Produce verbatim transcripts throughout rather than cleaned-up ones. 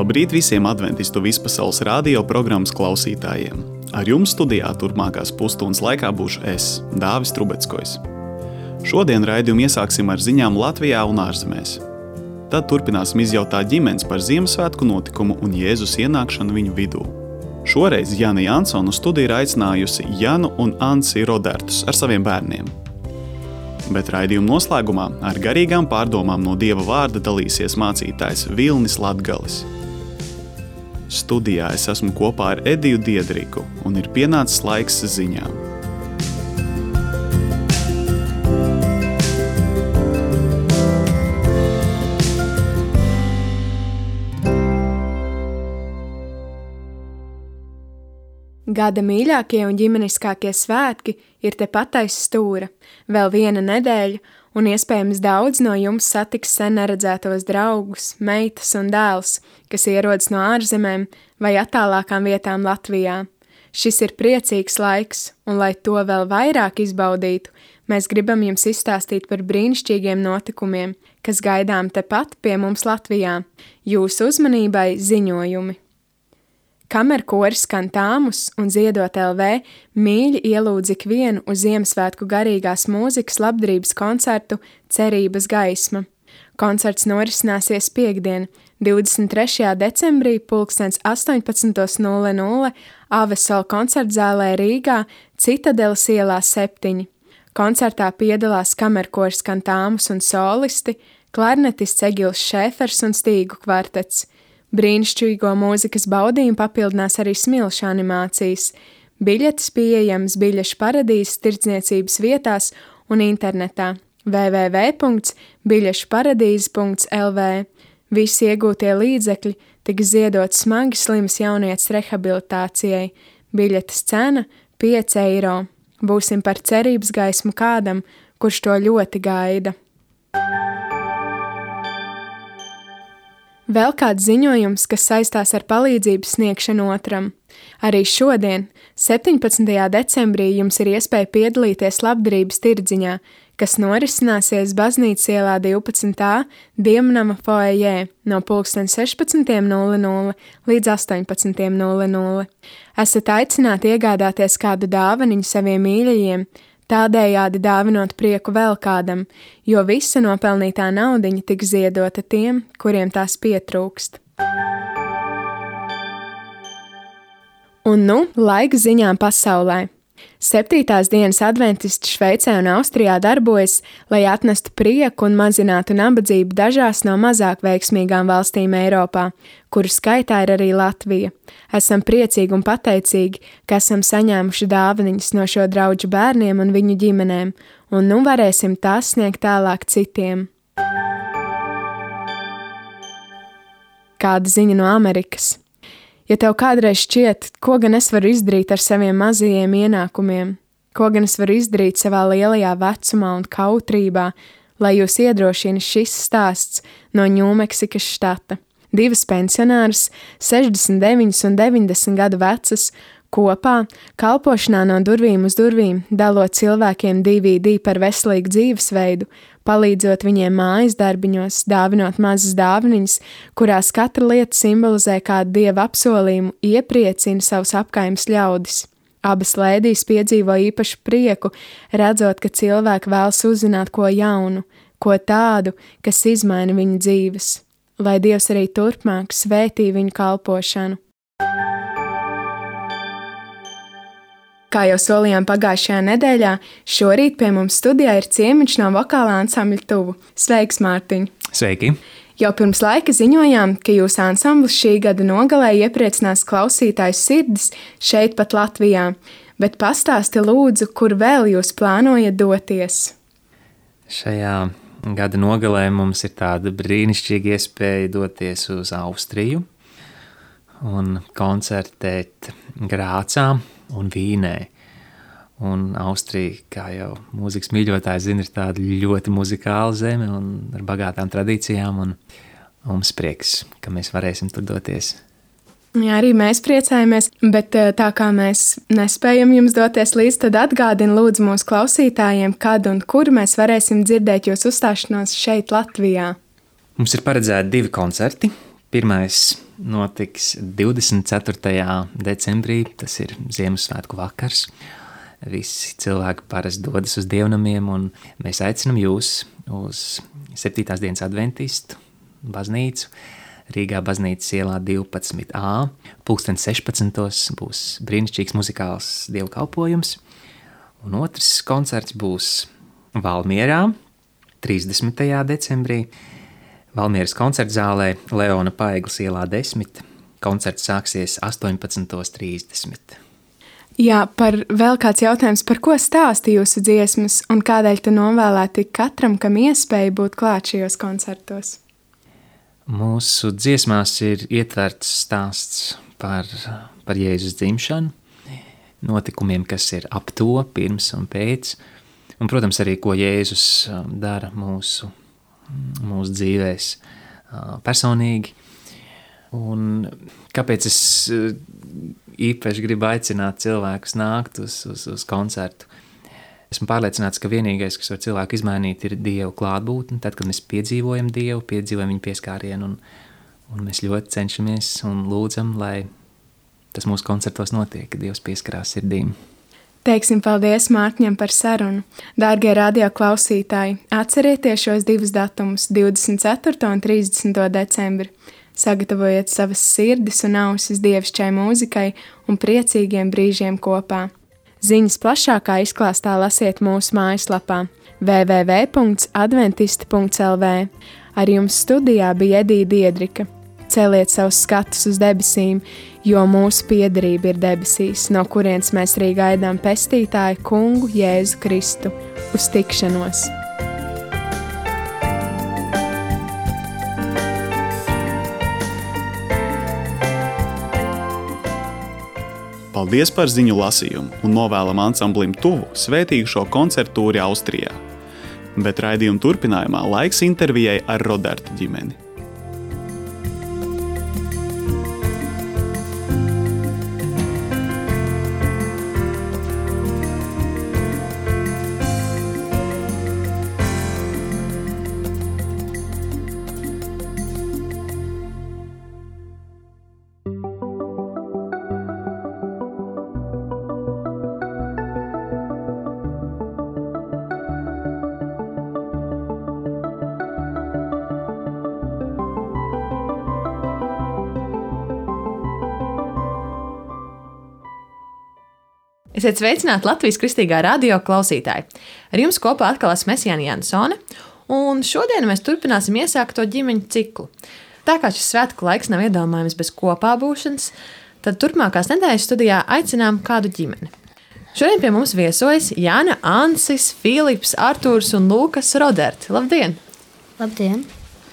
Labrīt visiem adventistu vispasaules radio programmas klausītājiem. Ar jums studijā turpmākās pusstundas laikā būšu es, Dāvis Trubeckojs. Šodien raidījumu iesāksim ar ziņām Latvijā un ārzemēs. Tad turpināsim izjautāt ģimenes par Ziemassvētku notikumu un Jēzus ienākšanu viņu vidū. Šoreiz Jana Jansonu studiju ir aicinājusi Janu un Ansi Rodertus ar saviem bērniem. Bet raidījuma noslēgumā ar garīgām pārdomām no Dieva vārda dalīsies mācītājs Vilnis Latgalis. Studijā es esmu kopā ar Ediju Diedriku un ir pienācis laiks ziņām. Gada mīļākie un ģimeniskākie svētki ir tepat aiz stūra. Vēl viena nedēļa, un iespējams daudz no jums satiks sen neredzētos draugus, meitas un dēls, kas ierodas no ārzemēm vai attālākām vietām Latvijā. Šis ir priecīgs laiks, un lai to vēl vairāk izbaudītu, mēs gribam jums izstāstīt par brīnišķīgiem notikumiem, kas gaidām tepat pie mums Latvijā. Jūsu uzmanībai ziņojumi. Kamerkoris Kantāmus un Ziedot L V mīļi ielūdz ikvienu uz Ziemassvētku garīgās mūzikas labdarības koncertu Cerības gaisma. Koncerts norisināsies piektdien, divdesmit trešajā decembrī pulkstens astoņpadsmit nulle nulle Avesola koncertzālē Rīgā, Citadeles ielā septiņi. Koncertā piedalās kamerkoris Kantāmus un solisti, klarnetists Egils Šēfers un stīgu kvartets. Brīnišķīgo mūzikas baudījumu papildinās arī smilšu animācijas. Biļetes pieejams Biļešu paradīzes tirdzniecības vietās un internetā w w w punkts biļešu paradīze punkts l v. Visi iegūtie līdzekļi tiks ziedot smagi slimas jaunietes rehabilitācijai. Biļetes cena pieci eiro. Būsim par cerības gaismu kādam, kurš to ļoti gaida. Vēl kāds ziņojums, kas saistās ar palīdzības sniegšanu otram. Arī šodien, septiņpadsmitajā decembrī, jums ir iespēja piedalīties labdarības tirdziņā, kas norisināsies Baznīcas ielā divpadsmit A Dievnama foajē no pulkstens sešpadsmit nulle nulle līdz astoņpadsmit nulle nulle. Esat aicināti iegādāties kādu dāvaniņu saviem mīļajiem, tādējādi dāvinot prieku vēl kādam, jo visa nopelnītā naudiņa tiks ziedota tiem, kuriem tās pietrūkst. Un nu, laiks ziņām pasaulē. Septītās dienas adventisti Šveicē un Austrijā darbojas, lai atnestu prieku un mazinātu nabadzību dažās no mazāk veiksmīgām valstīm Eiropā, kuru skaitā ir arī Latvija. Esam priecīgi un pateicīgi, ka esam saņēmuši dāvaniņas no šo draugu bērniem un viņu ģimenēm, un nu varēsim tās sniegt tālāk citiem. Kāda ziņa no Amerikas? Ja tev kādreiz šķiet, ko gan es varu izdarīt ar saviem mazajiem ienākumiem, ko gan es varu izdarīt savā lielajā vecumā un kautrībā, lai jūs iedrošina šis stāsts no Ņūmeksikas štata. Divas pensionāras, sešdesmit deviņas un deviņdesmit gadu vecas, kopā kalpošanā no durvīm uz durvīm, dalot cilvēkiem D V D par veselīgu dzīvesveidu, palīdzot viņiem mājas darbiņos, dāvinot mazas dāvaniņas, kurās katra lieta simbolizē kādu dieva apsolījumu, iepriecina savus apkaimes ļaudis. Abas lēdijas piedzīvo īpašu prieku, redzot, ka cilvēki vēlas uzzināt ko jaunu, ko tādu, kas izmaina viņu dzīves. Lai Dievs arī turpmāk svētī viņu kalpošanu. Kā jau solījām pagājušajā nedēļā, šorīt pie mums studijā ir ciemiņš no vokālā ansambļa Tuvu. Sveiks, Mārtiņ! Sveiki! Jau pirms laika ziņojām, ka jūsu ansamblis šī gada nogalē iepriecinās klausītāju sirdis šeit pat Latvijā, bet pastāsti lūdzu, kur vēl jūs plānojat doties? Šajā gada nogalē mums ir tāda brīnišķīga iespēja doties uz Austriju un koncertēt Grācā un Vīnē. Un Austrija, kā jau mūzikas mīļotāji zina, ir tāda ļoti muzikāla zeme un ar bagātām tradīcijām, un mums prieks, ka mēs varēsim tur doties. Jā, arī mēs priecājamies, bet tā kā mēs nespējam jums doties līdz, tad atgādina lūdzu mūsu klausītājiem, kad un kur mēs varēsim dzirdēt jūs uzstāšanos šeit Latvijā. Mums ir paredzēti divi koncerti. Pirmais notiks divdesmit ceturtajā decembrī, tas ir Ziemassvētku vakars. Visi cilvēki parasti dodas uz dievnamiem, un mēs aicinam jūs uz septītās dienas adventistu baznīcu. Rīgā baznīcas ielā divpadsmit A, pulksten sešpadsmitos būs brīnišķīgs muzikāls dievkalpojums, un otrs koncerts būs Valmierā, trīsdesmitajā decembrī, Valmieras koncertzālē Leona Paegles ielā desmit. Koncerts sāksies astoņpadsmit trīsdesmit. Jā, par vēl kāds jautājums, par ko stāsta jūsu dziesmas un kādēļ te novēlēti katram, kam iespēja būt klāt šajos koncertos? Mūsu dziesmās ir ietverts stāsts par, par Jēzus dzimšanu, notikumiem, kas ir ap to, pirms un pēc, un, protams, arī, ko Jēzus dara mūsu, mūsu dzīvēs personīgi. Un kāpēc es īpaši gribu aicināt cilvēkus nākt uz, uz, uz koncertu? Esmu pārliecināts, ka vienīgais, kas var cilvēku izmainīt, ir Dieva klātbūtne. Tad, kad mēs piedzīvojam Dievu, piedzīvojam viņa pieskārienu, un, un mēs ļoti cenšamies un lūdzam, lai tas mūsu koncertos notiek, ka Dievs pieskarās sirdīm. Teiksim paldies Mārtiņam par sarunu. Dārgie radio klausītāji, atcerieties šos divus datumus, divdesmit ceturto un trīsdesmito decembri. Sagatavojiet savas sirdis un ausis dievišķai mūzikai un priecīgiem brīžiem kopā. Ziņas plašākā izklāstā lasiet mūsu mājaslapā w w w punkts adventisti punkts l v. Ar jums studijā bija Edija Diedrika. Celiet savus skatus uz debesīm, jo mūsu piederība ir debesīs, no kurienes mēs arī gaidām pestītāju kungu Jēzu Kristu. Uz tikšanos! Paldies par ziņu lasījumu un novēlam ansamblim tuvu svētīgu šo koncertu tūri Austrijā. Bet raidījuma turpinājumā laiks intervijai ar Roderta ģimeni. Esiet sveicināti Latvijas Kristīgā radio klausītāji. Ar jums kopā atkal esmu Jāna Jansone, un šodien mēs turpināsim iesākto ģimeņu ciklu. Tā kā šis svētku laiks nav iedomājams bez kopā būšanas, tad turpmākās nedēļas studijā aicinām kādu ģimeni. Šodien pie mums viesojas Jāna, Ansis, Filips, Artūrs un Lūkas Roderti. Labdien! Labdien!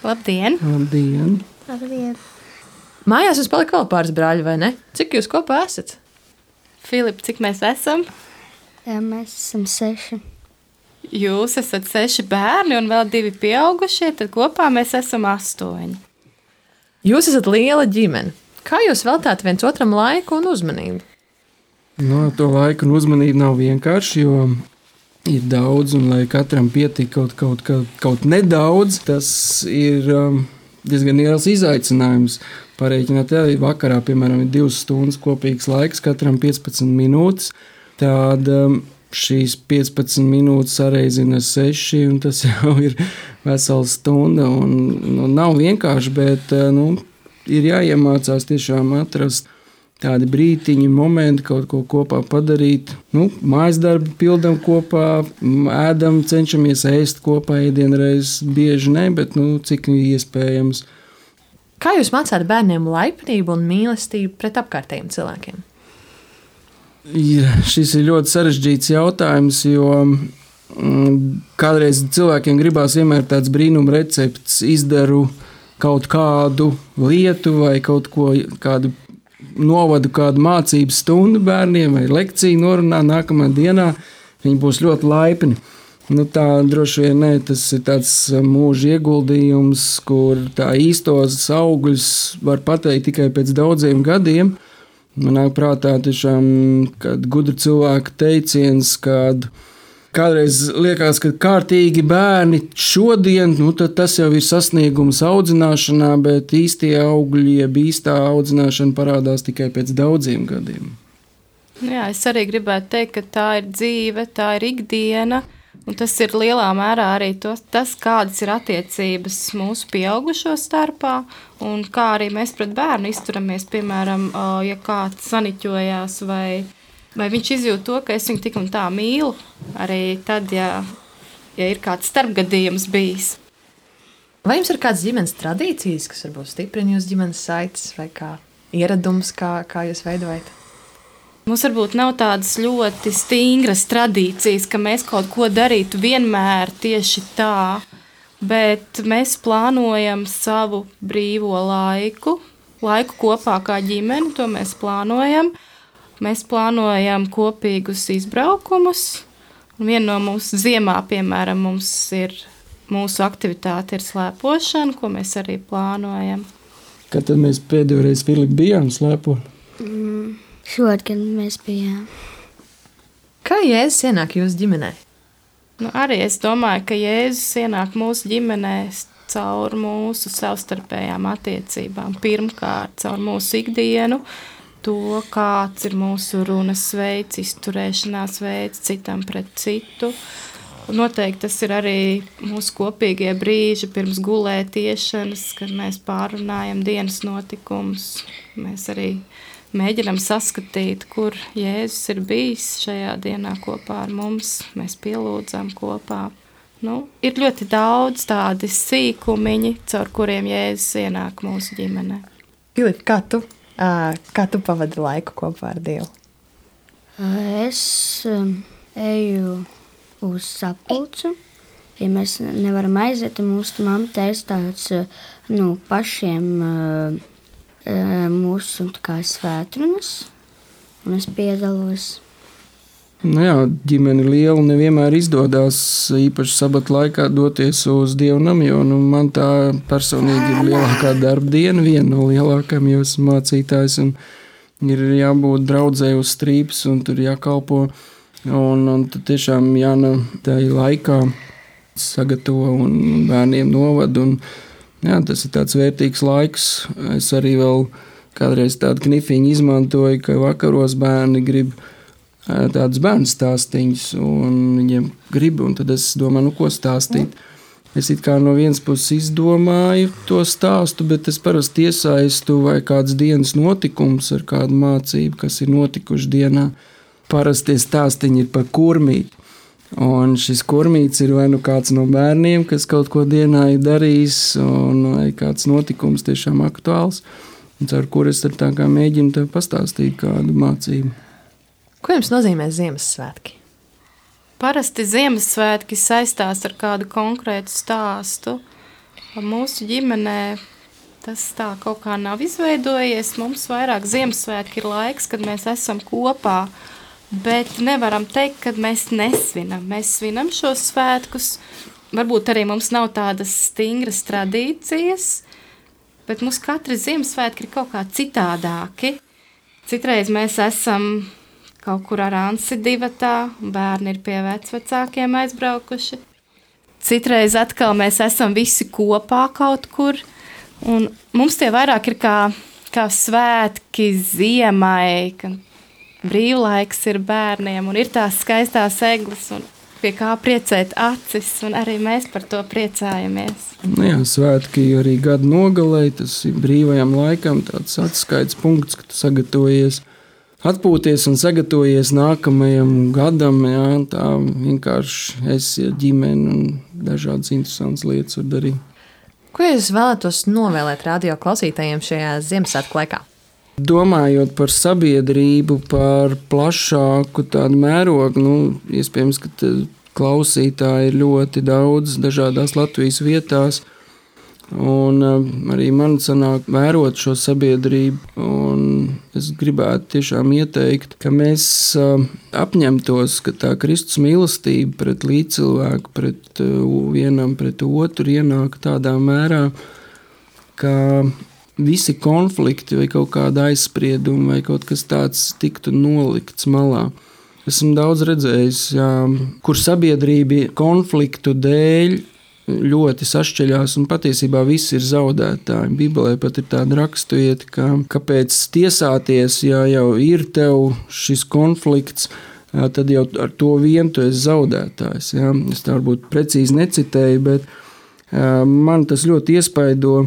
Labdien! Labdien! Labdien! Mājās jūs palika vēl pāris brāļi, vai ne? Cik jūs kopā esat? Filip, cik mēs esam? Jā, mēs esam seši. Jūs esat seši bērni un vēl divi pieaugušie, tad kopā mēs esam astoņi. Jūs esat liela ģimene. Kā jūs veltāt viens otram laiku un uzmanību? No, to laiku un uzmanību nav vienkārši, jo ir daudz, un lai katram pietik kaut, kaut, kaut, kaut nedaudz, tas ir um, diezgan liels izaicinājums. Pareiķināt, ja vakarā, piemēram, ir divas stundas kopīgs laiks, katram piecpadsmit minūtes, tad um, šīs piecpadsmit minūtes sareizina seši, un tas jau ir vesela stunda, un nu, nav vienkārši, bet nu, ir jāiemācās tiešām atrast tādi brītiņi, momenti, kaut ko kopā padarīt. Nu, mājas darbi pildam kopā, ēdam, cenšamies ēst kopā, ēdienreiz bieži ne, bet nu, cik iespējams. Kā jūs mācāt bērniem laipnību un mīlestību pret apkārtējiem cilvēkiem? Ja, šis ir ļoti sarežģīts jautājums, jo mm, kādreiz cilvēkiem gribās vienmēr tāds brīnuma recepts, izdaru kaut kādu lietu vai kaut ko, kādu novadu, kādu mācību stundu bērniem vai lekciju norunā nākamā dienā, viņi būs ļoti laipni. Nu, tā droši vien ne, tas ir tāds mūža ieguldījums, kur tā īstos augļus var pateikt tikai pēc daudziem gadiem. Man nāk prātā tiešām kāda gudra cilvēka teiciens, kad Kādreiz liekas, ka kārtīgi bērni šodien, nu, tas jau ir sasniegums audzināšanā, bet īstie augļi, jeb īstā audzināšana parādās tikai pēc daudziem gadiem. Jā, es arī gribētu teikt, ka tā ir dzīve, tā ir ikdiena. Un tas ir lielā mērā arī to, tas, kādas ir attiecības mūsu pieaugušo starpā un kā arī mēs pret bērnu izturamies. Piemēram, ja kāds saniķojās vai, vai viņš izjūt to, ka es viņu tik un tā mīlu, arī tad, ja, ja ir kāds starpgadījums bijis. Vai jums ir kādas ģimenes tradīcijas, kas varbūt stiprina jūsu ģimenes saites vai kā ieradums, kā, kā jūs veidojat? Mums varbūt nav tādas ļoti stingras tradīcijas, ka mēs kaut ko darītu vienmēr tieši tā, bet mēs plānojam savu brīvo laiku, laiku kopā kā ģimeni, to mēs plānojam. Mēs plānojam kopīgus izbraukumus, un viena no mūsu ziemā, piemēram, mums ir mūsu aktivitāte ir slēpošana, ko mēs arī plānojam. Kad tad mēs pēdējo reizi, Filipa, bijām slēpot? Mm. Šogad, kad mēs bijām. Kā Jēzus ienāk jūsu ģimenē? Nu, arī es domāju, ka Jēzus ienāk mūsu ģimenē caur mūsu savstarpējām attiecībām. Pirmkārt, caur mūsu ikdienu, to, kāds ir mūsu runas veids, izturēšanās veids citam pret citu. Noteikti tas ir arī mūsu kopīgie brīži pirms gulētiešanas, kad mēs pārunājam dienas notikumus. Mēs arī mēģinam saskatīt, kur Jēzus ir bijis šajā dienā kopā ar mums. Mēs pielūdzam kopā. Nu, ir ļoti daudz tādi sīkumiņi, caur kuriem Jēzus ienāk mūsu ģimenē. Filipa, kā tu, kā tu pavadi laiku kopā ar Dievu? Es um, eju uz sapulcu. Ja mēs nevaram aiziet, tad mūsu mamma taisa tāds nu, pašiem uh, mūsu kā svētrunas, un es piedalos. Nu jā, ģimene liela nevienmēr izdodas īpaši sabata laikā doties uz dievnam, jo nu, man tā personīgi ir lielākā darba diena, viena no lielākajām, jo esmu mācītājs, un ir jābūt draudzē uz strīpas, un tur jākalpo, un, un tad tiešām jāna tai laikā sagatavo un bērniem novad, un jā, tas ir tāds vērtīgs laiks. Es arī vēl kādreiz tādu knifiņu izmantoju, ka vakaros bērni grib tādus bērnu stāstīņus, un viņiem grib, un tad es domāju, nu ko stāstīt. Es it kā no vienas puses izdomāju to stāstu, bet es parasti iesaistu vai kāds dienas notikums ar kādu mācību, kas ir notikuši dienā. Parasti tie stāstiņi ir par kurmīti. Un šis kurmīts ir vai nu kāds no bērniem, kas kaut ko dienā ir darījis, un vai kāds notikums tiešām aktuāls, un ar kur es ar tā kā mēģinu tev pastāstīt kādu mācību. Ko jums nozīmē Ziemassvētki? Parasti Ziemassvētki saistās ar kādu konkrētu stāstu. Mūsu ģimenē tas tā kaut kā nav izveidojies. Mums vairāk Ziemassvētki ir laiks, kad mēs esam kopā. Bet nevaram teikt, ka mēs nesvinam. Mēs svinam šos svētkus. Varbūt arī mums nav tādas stingras tradīcijas, bet mums katri Ziemassvētki ir kaut kā citādāki. Citreiz mēs esam kaut kur ar Ansi divatā, bērni ir pie vecvecākiem aizbraukuši. Citreiz atkal mēs esam visi kopā kaut kur. Un mums tie vairāk ir kā, kā svētki ziemai, ka brīvlaiks ir bērniem, un ir tās skaistās eglis, un pie kā priecēt acis, un arī mēs par to priecājamies. Nu jā, svētki arī gada nogalē, tas ir brīvajam laikam tāds atskaites punkts, ka tu sagatavojies, atpūties un sagatavojies nākamajam gadam, jā, tā vienkārši esi ar ģimeni un dažādas interesantas lietas var darīt. Ko jūs vēlētos novēlēt radio klausītājiem šajā Ziemassvētku laikā? Domājot par sabiedrību, par plašāku tādu mērogu, nu, iespējams, ka klausītāji ir ļoti daudz dažādās Latvijas vietās, un arī man sanāk vērot šo sabiedrību, un es gribētu tiešām ieteikt, ka mēs apņemtos, ka tā Kristus mīlestība pret līdzcilvēku, pret vienam, pret otru ienāk tādā mērā, ka visi konflikti vai kaut kāda aizsprieduma vai kaut kas tāds tiktu nolikts malā. esmu daudz redzējis, jā, kur sabiedrība konfliktu dēļ ļoti sašķeļās un patiesībā visi ir zaudētāji. Bībelē pat ir tāda raksturvieta, ka kāpēc tiesāties, ja jau ir tev šis konflikts, jā, tad jau ar to vien tu esi zaudētājs. Jā. Es tā varbūt precīzi necitēju, bet jā, man tas ļoti iespaido.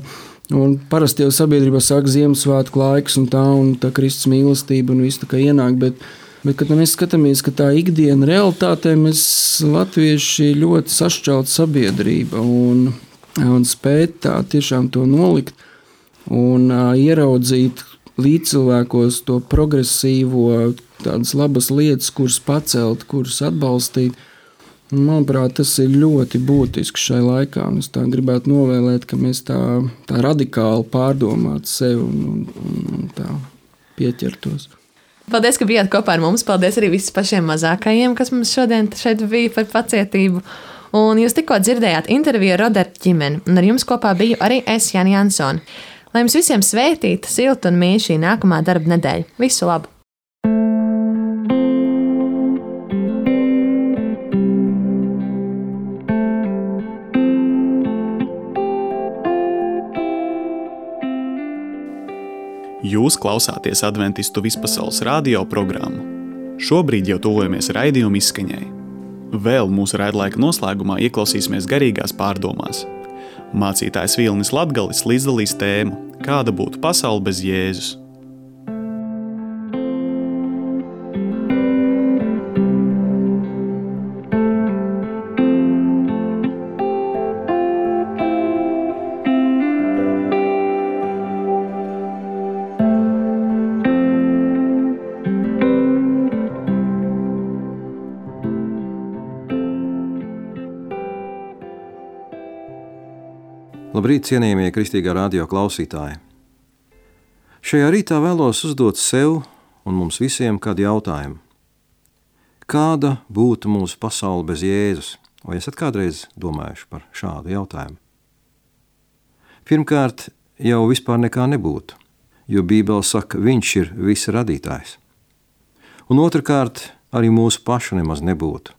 Un parasti jau sabiedrībā sāk Ziemassvētku laiks un tā, un tā Kristus mīlestība un viss tā kā ienāk, bet Bet, kad mēs skatāmies, ka tā ikdiena realitātē mēs latvieši ļoti sašķelta sabiedrība un, un spēt tā tiešām to nolikt un uh, ieraudzīt līdzcilvēkos to progresīvo, tādas labas lietas, kuras pacelt, kuras atbalstīt. Manuprāt, tas ir ļoti būtiski šai laikā. Un es tā gribētu novēlēt, ka mēs tā, tā radikāli pārdomātu sevi un, un, un tā pieķertos. Paldies, ka bijāt kopā ar mums. Paldies arī visiem pašiem mazākajiem, kas mums šodien šeit bija par pacietību. Un jūs tikko dzirdējāt interviju ar Roderta ģimeni, un ar jums kopā biju arī es, Jāņa Jansone. Lai jums visiem svētīta, silta un mīļa šī nākamā darba nedēļa. Visu labu! Jūs klausāties Adventistu vispasaules radio programmu. Šobrīd jau tuvojamies raidījuma izskaņai. Vēl mūsu raidlaika noslēgumā ieklausīsimies garīgās pārdomās. Mācītājs Vilnis Latgalis līdzdalīs tēmu, kāda būtu pasaule bez Jēzus. Labrīt, cienījamie kristīgā radio klausītāji! Šajā rītā vēlos uzdot sev un mums visiem kādu jautājumu. Kāda būtu mūsu pasaule bez Jēzus? Vai esat kādreiz domājuši par šādu jautājumu? Pirmkārt, jau vispār nekā nebūtu, jo Bībele saka, viņš ir visa radītājs. Un otrkārt, arī mūsu pašu nemaz nebūtu.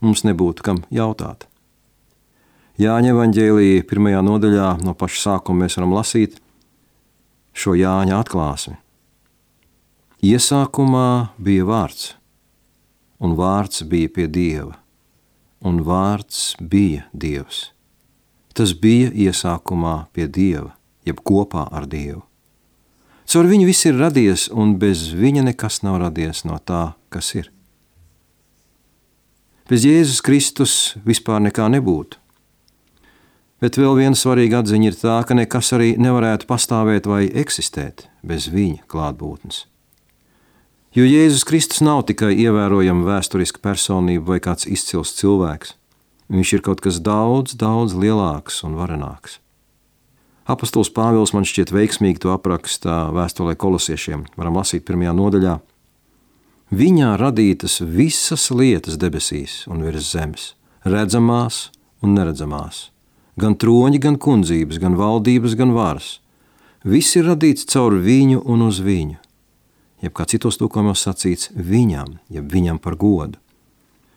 Mums nebūtu kam jautāt. Jāņa evaņģēlija pirmajā nodaļā no paša sākuma mēs varam lasīt šo Jāņa atklāsmi. Iesākumā bija vārds, un vārds bija pie Dieva, un vārds bija Dievs. Tas bija iesākumā pie Dieva, jeb kopā ar Dievu. Caur viņu viss ir radies, un bez viņa nekas nav radies no tā, kas ir. Bez Jēzus Kristus vispār nekā nebūtu. Bet vēl viena svarīga atziņa ir tā, ka nekas arī nevarētu pastāvēt vai eksistēt bez viņa klātbūtnes. Jo Jēzus Kristus nav tikai ievērojama vēsturiska personība vai kāds izcils cilvēks. Viņš ir kaut kas daudz, daudz lielāks un varenāks. Apostols Pāvils man šķiet veiksmīgi to aprakstā vēstulē Kolosiešiem. Varam lasīt pirmajā nodaļā. Viņā radītas visas lietas debesīs un virs zemes, redzamās un neredzamās. Gan troņi, gan kundzības, gan valdības, gan varas. Viss ir radīts caur viņu un uz viņu. Jeb kā citos tūkojumos sacīts viņam, jeb viņam par godu.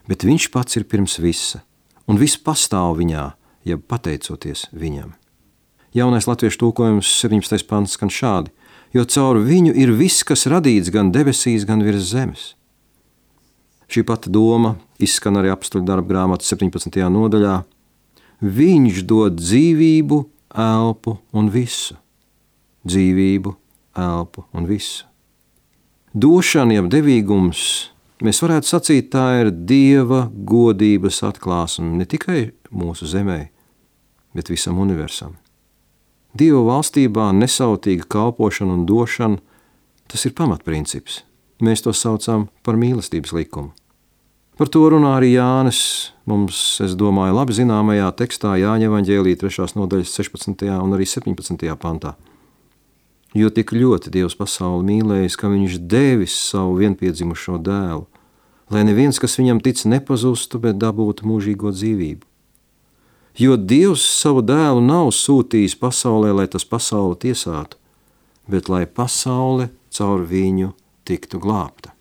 Bet viņš pats ir pirms visa, un viss pastāv viņā, jeb pateicoties viņam. Jaunais latviešu tūkojums septiņpadsmitais pants skan šādi, jo caur viņu ir viss, kas radīts gan debesīs, gan virs zemes. Šī pati doma izskan arī apostoļu darba grāmatas septiņpadsmitajā nodaļā. Viņš dod dzīvību, elpu un visu. Dzīvību, elpu un visu. Došana, jeb devīgums, mēs varētu sacīt, tā ir Dieva godības atklāsme ne tikai mūsu zemē, bet visam universam. Dieva valstībā nesautīga kalpošana un došana, tas ir pamatprincips. Mēs to saucam par mīlestības likumu. Par to runā arī Jānis, mums, es domāju, labi zināmajā tekstā Jāņa evaņģēlija trešās nodaļas sešpadsmitajā un arī septiņpadsmitajā pantā. Jo tik ļoti Dievs pasauli mīlējis, ka viņš devis savu vienpiedzimušo dēlu, lai neviens, kas viņam tic, nepazustu, bet dabūtu mūžīgo dzīvību. Jo Dievs savu dēlu nav sūtījis pasaulē, lai tas pasauli tiesātu, bet lai pasaule caur viņu tiktu glābta.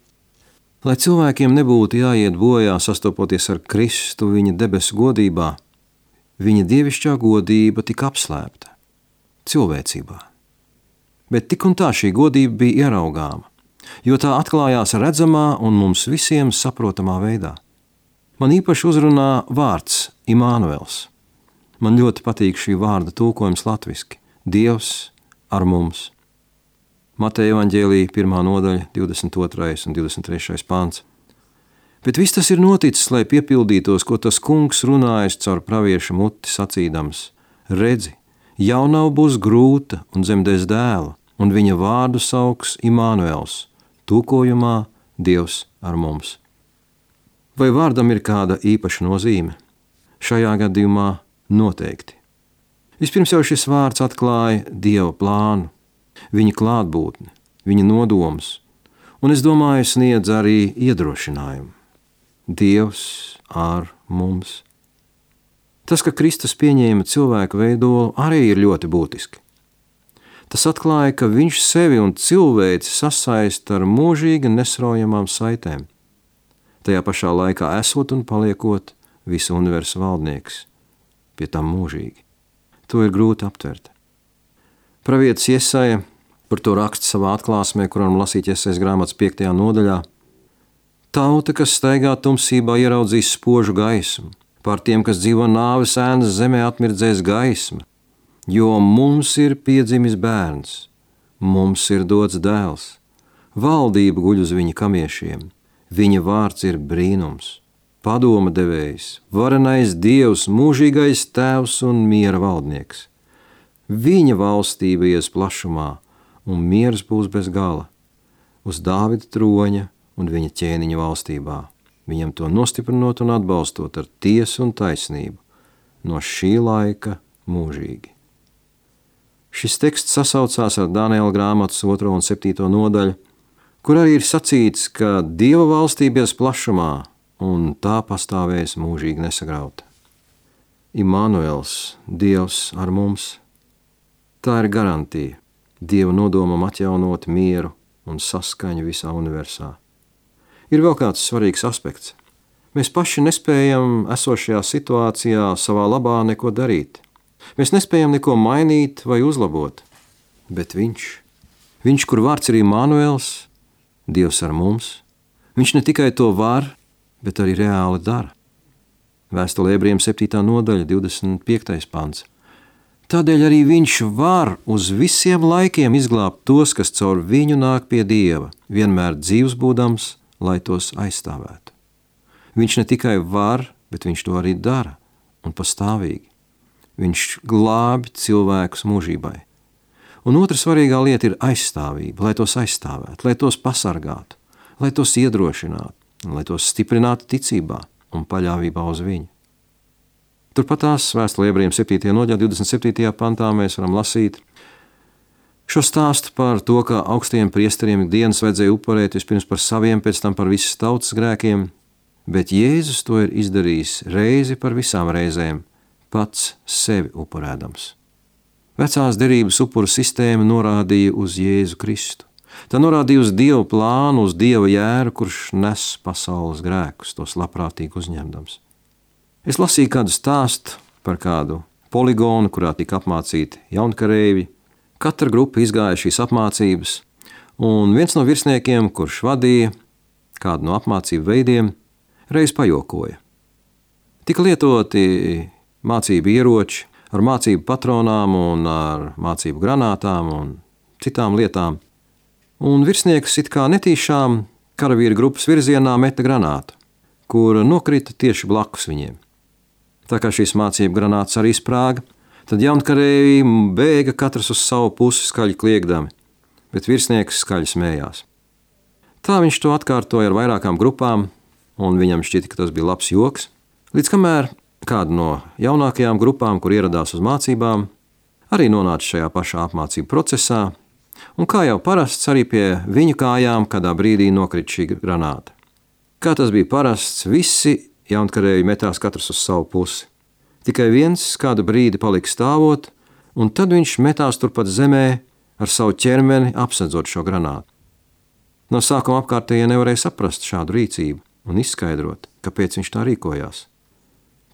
Lai cilvēkiem nebūtu jāiet bojā sastopoties ar Kristu viņa debesu godībā, viņa dievišķā godība tika apslēpta cilvēcībā. Bet tik un tā šī godība bija ieraugāma, jo tā atklājās redzamā un mums visiem saprotamā veidā. Man īpaši uzrunā vārds Imānuels. Man ļoti patīk šī vārda tulkojums latviski – Dievs ar mums. Mateja evaņģēlija pirmā nodaļa, divdesmit otrais un divdesmit trešais pāns. Bet viss tas ir noticis, lai piepildītos, ko tas kungs runājis caur pravieša muti sacīdams. Redzi, jaunava būs grūta un dzemdēs dēlu, un viņa vārdu sauks Imānuels, tulkojumā Dievs ar mums. Vai vārdam ir kāda īpaša nozīme? Šajā gadījumā noteikti. Vispirms jau šis vārds atklāja Dieva plānu, viņa klātbūtni, viņa nodomus, un es domāju, sniedz arī iedrošinājumu. Dievs ar mums. Tas, ka Kristus pieņēma cilvēku veidolu, arī ir ļoti būtiski. Tas atklāja, ka viņš sevi un cilvēci sasaista ar mūžīgi nesraujamām saitēm, tajā pašā laikā esot un paliekot visu universu valdnieks, pie tam mūžīgi. To ir grūti aptvert. Pravietis Jesaja par to raksta savā atklāsmē, kuram lasīt Jesajas grāmatas piektajā nodaļā. Tauta, kas staigā tumsībā, ieraudzīs spožu gaismu. Pār tiem, kas dzīvo nāves ēnas zemē, atmirdzēs gaisma. Jo mums ir piedzimis bērns, mums ir dots dēls. Valdība guļ uz viņa kamiešiem. Viņa vārds ir brīnums, padoma devējs, varenais Dievs, mūžīgais tēvs un miera valdnieks. Viņa valstība ies plašumā, un miers būs bez gala, uz Dāvida troņa un viņa ķēniņa valstībā, viņam to nostiprinot un atbalstot ar tiesu un taisnību, no šī laika mūžīgi. Šis teksts sasaucās ar Daniela grāmatas otro un septīto nodaļu, kur arī ir sacīts, ka Dieva valstība ies plašumā, un tā pastāvēs mūžīgi nesagrauta. Imānuels, Dievs ar mums. Tā ir garantija Dieva nodomam atjaunot mieru un saskaņu visā universā. Ir vēl kāds svarīgs aspekts. Mēs paši nespējam esošajā situācijā savā labā neko darīt. Mēs nespējam neko mainīt vai uzlabot. Bet viņš, viņš, kur vārds ir Imānuels, Dievs ar mums, viņš ne tikai to var, bet arī reāli dara. Vēstule Ebrejiem septītā nodaļa, divdesmit piektais pants. Tādēļ arī viņš var uz visiem laikiem izglābt tos, kas caur viņu nāk pie Dieva, vienmēr dzīvs būdams, lai tos aizstāvētu. Viņš ne tikai var, bet viņš to arī dara, un pastāvīgi. Viņš glābi cilvēkus mūžībai. Un otra svarīgā lieta ir aizstāvība, lai tos aizstāvētu, lai tos pasargātu, lai tos iedrošinātu, lai tos stiprinātu ticībā un paļāvībā uz viņu. Turpat tās vēstulē Ebrejiem septītajā nodaļā, divdesmit septītajā pantā mēs varam lasīt šo stāstu par to, ka augstajiem priesteriem ikdienas vajadzēja upurēt vispirms par saviem, pēc tam par visas tautas grēkiem, bet Jēzus to ir izdarījis reizi par visām reizēm, pats sevi upurēdams. Vecās derības upuru sistēma norādīja uz Jēzu Kristu. Tā norādīja uz Dieva plānu, uz Dieva jēru, kurš nes pasaules grēkus, tos labprātīgi uzņemdams. Es lasīju kādu stāstu par kādu poligonu, kurā tika apmācīti jaunkarēji. Katra grupa izgāja šīs apmācības, un viens no virsniekiem, kurš vadīja kādu no apmācību veidiem, reiz pajokoja. Tika lietoti mācību ieroči ar mācību patronām un ar mācību granātām un citām lietām, un virsnieks it kā netīšām karavīru grupas virzienā meta granātu, kura nokrita tieši blakus viņiem. Tā kā šīs mācību granātas arī sprāga, tad jaunkarēji bēga katrs uz savu pusi skaļi kliegdami, bet virsnieks skaļi smējās. Tā viņš to atkārtoja ar vairākām grupām, un viņam šķita, ka tas bija labs joks, līdz kamēr kāda no jaunākajām grupām, kur ieradās uz mācībām, arī nonāca šajā pašā apmācību procesā, un kā jau parasts arī pie viņu kājām kādā brīdī nokrita šī granāta. Kā tas bija parasts, visi jaunkarēji metās katrs uz savu pusi. Tikai viens kādu brīdi palika stāvot, un tad viņš metās turpat zemē ar savu ķermeni apsedzot šo granātu. No sākuma apkārtējie nevarēja saprast šādu rīcību un izskaidrot, kāpēc viņš tā rīkojās.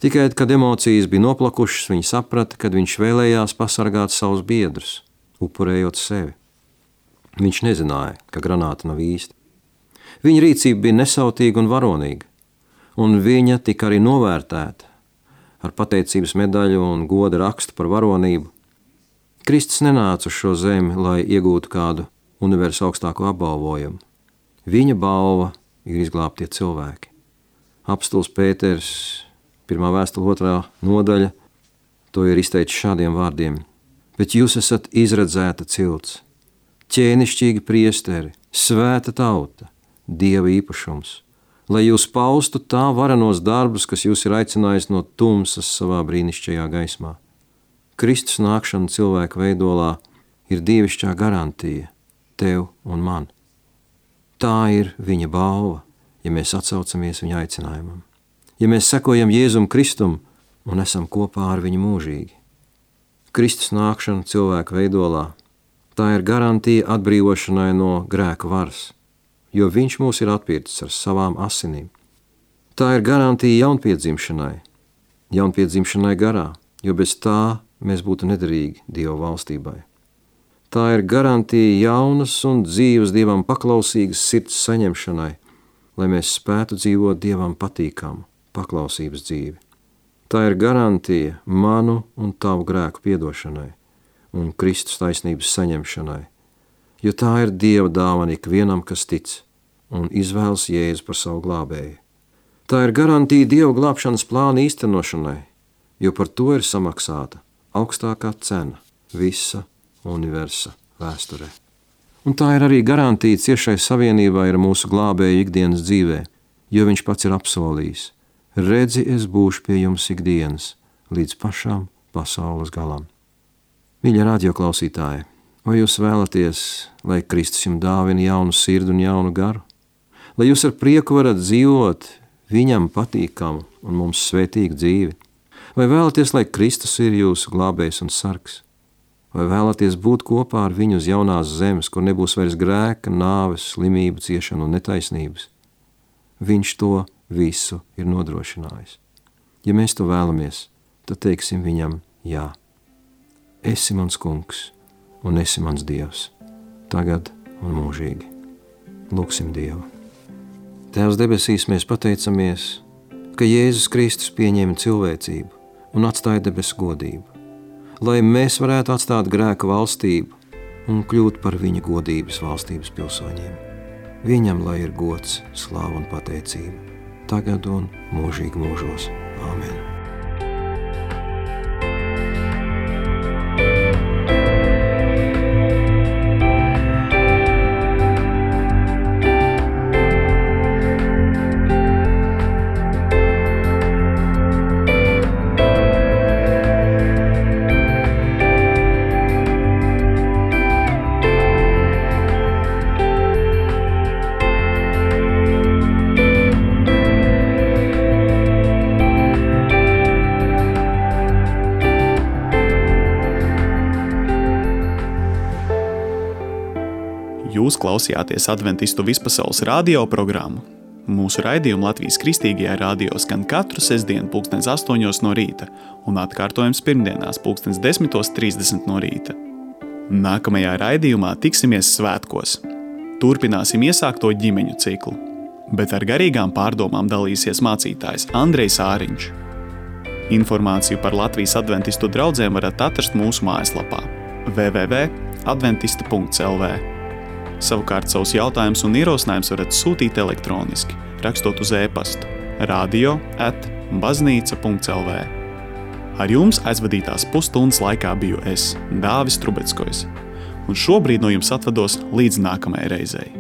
Tikai, kad emocijas bija noplakušas, viņi saprata, kad viņš vēlējās pasargāt savus biedrus, upurējot sevi. Viņš nezināja, ka granāta nav īsta. Viņa rīcība bija nesautīga un varonīga, un viņa tika arī novērtēta ar pateicības medaļu un goda rakstu par varonību. Kristus nenāca uz šo zemi, lai iegūtu kādu universu augstāko apbalvojumu. Viņa balva ir izglābtie cilvēki. Apstulis Pēters, pirmā vēstule otrā nodaļa, to ir izteicis šādiem vārdiem. Bet jūs esat izredzēta cilts, ķēnišķīgi priesteri, svēta tauta, Dieva īpašums, lai jūs paustu tā varenos darbus, kas jūs ir aicinājis no tumsas savā brīnišķajā gaismā. Kristus nākšana cilvēka veidolā ir dievišķā garantija tev un man. Tā ir viņa balva, ja mēs atsaucamies viņa aicinājumam. Ja mēs sekojam Jēzum Kristum un esam kopā ar viņu mūžīgi. Kristus nākšana cilvēka veidolā, tā ir garantija atbrīvošanai no grēka varas, jo viņš mūs ir atpircis ar savām asinīm. Tā ir garantija jaunpiedzimšanai, jaunpiedzimšanai garā, jo bez tā mēs būtu nederīgi Dieva valstībai. Tā ir garantija jaunas un dzīves Dievam paklausīgas sirds saņemšanai, lai mēs spētu dzīvot Dievam patīkamu paklausības dzīvi. Tā ir garantija manu un tavu grēku piedošanai un Kristus taisnības saņemšanai, jo tā ir Dieva dāvana ikvienam, kas tic un izvēlas Jēzu par savu glābēju. Tā ir garantija Dieva glābšanas plāna īstenošanai, jo par to ir samaksāta augstākā cena visa universa vēsturē. Un tā ir arī garantija ciešai savienībai ar mūsu glābēju ikdienas dzīvē, jo viņš pats ir apsolījis: redzi, es būšu pie jums ikdienas līdz pašām pasaules galam. Mīļie radioklausītāji, vai jūs vēlaties, lai Kristus jums dāvina jaunu sirdi un jaunu garu? Lai jūs ar prieku varat dzīvot viņam patīkamu un mums svētīgu dzīvi? Vai vēlaties, lai Kristus ir jūsu glābējs un sargs? Vai vēlaties būt kopā ar viņu uz jaunās zemes, kur nebūs vairs grēka, nāves, slimību, ciešanu un netaisnības? Viņš to visu ir nodrošinājis. Ja mēs to vēlamies, tad teiksim viņam jā. Esi mans kungs un esi mans Dievs, tagad un mūžīgi. Lūksim Dievu. Tēvs debesīs, mēs pateicamies, ka Jēzus Kristus pieņēma cilvēcību un atstāja debesu godību, lai mēs varētu atstāt grēka valstību un kļūt par viņa godības valstības pilsoņiem. Viņam lai ir gods, slāva un pateicība, tagad un mūžīgi mūžos. Āmen. Jūs klausījāties Adventistu vispasaules radio programmu. Mūsu raidījumu Latvijas Kristīgajā radio skan katru sestdienu pulkstens astoņos no rīta un atkārtojums pirmdienās pulkstens desmitos trīsdesmit no rīta. Nākamajā raidījumā tiksimies svētkos. Turpināsim iesākto ģimeņu ciklu, bet ar garīgām pārdomām dalīsies mācītājs Andrejs Āriņš. Informāciju par Latvijas adventistu draudzēm varat atrast mūsu mājaslapā w w w punkt adventista punkt l v. Savukārt savus jautājumus un ierosinājumus varat sūtīt elektroniski, rakstot uz e-pastu radio at baznīca punkt l v. Ar jums aizvadītās pusstundas laikā biju es, Dāvis Trubeckojs, un šobrīd no jums atvados līdz nākamajai reizei.